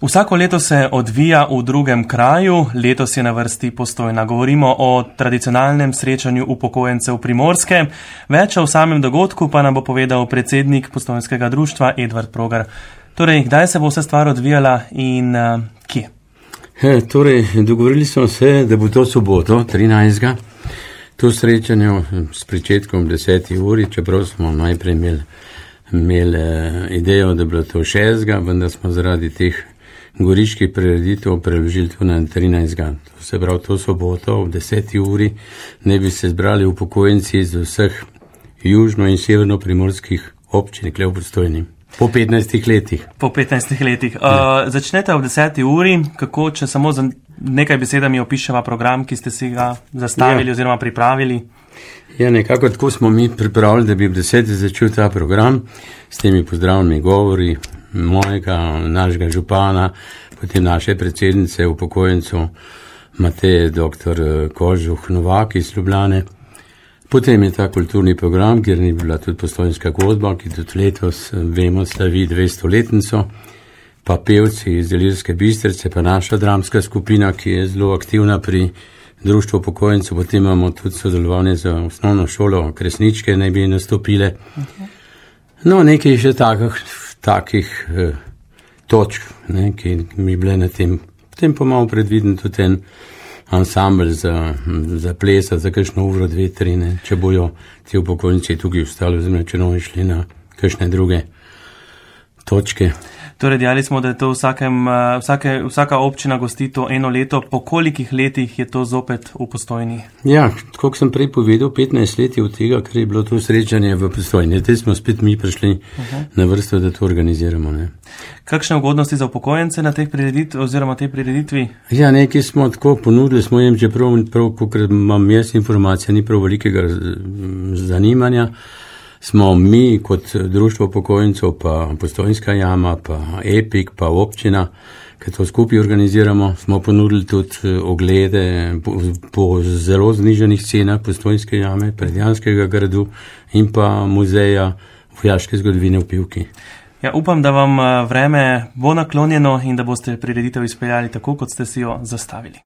Vsako leto se odvija v drugem kraju, letos je na vrsti Postojna. Govorimo o tradicionalnem srečanju upokojencev Primorske. Več o samem dogodku pa nam bo povedal predsednik Postojnskega društva Edvard Progar. Torej, kdaj se bo vsa stvar odvijala in kje? Dogovorili smo se, da bo to soboto, 13. To srečanje s pričetkom 10. uri, čeprav smo najprej imeli idejo, da bi bilo to 6. vendar smo zaradi teh goriških prireditev preložili to na 13. To se pravi, to soboto ob 10. uri ne bi se zbrali upokojenci iz vseh južno- in severno-primorskih občin, kle v Postojni. Po 15 letih. Po 15 letih. Začnete ob 10. uri, kako, če samo za nekaj besedami opiševa program, ki ste si ga zastavili oziroma pripravili? Ja, nekako tako smo mi pripravili, da bi ob 10. začel ta program s temi pozdravnimi govori mojega, našega župana, potem naše predsednice upokojencev Mateje dr. Kožuh Novak iz Ljubljane. Potem je ta kulturni program, kjer ni bila tudi Postojnska godba, ki tudi letos, vemo, slavi 200-letnico, pa pevci iz Ilirske Bistrice, pa naša dramska skupina, ki je zelo aktivna pri društvu upokojencev. Potem imamo tudi sodelovanje za osnovno šolo, Kresničke naj bi nastopile. No, nekaj še takih točk, ki mi bile na tem. Potem pa imamo predviden tudi en ansambl za plesa, za kakšno uro, 2, 3, če bojo ti upokojenci tukaj ostali, oziroma če novi šli na kakšne druge točke. Torej, dejali smo, da je to vsaka občina gosti to eno leto. Po kolikih letih je to zopet v Postojni? Ja, kot sem prej povedal, 15 let je od tega, ker je bilo to srečanje v Postojni. Zdaj smo spet mi prišli na vrsto, da to organiziramo. Ne. Kakšne ugodnosti za upokojence na teh prireditvi? Ja, nekaj smo tako ponudili, smo jim, čeprav, kot imam jaz informacije, ni prav velikega zanimanja. Smo mi kot društvo upokojencev, pa Postojnska jama, pa Epik, pa občina, ki to skupaj organiziramo, smo ponudili tudi oglede po zelo znižanih cenah Postojnske jame, Predjanskega gradu in pa muzeja vojaške zgodovine v Pivki. Ja, upam, da vam vreme bo naklonjeno in da boste prireditev izpeljali tako, kot ste si jo zastavili.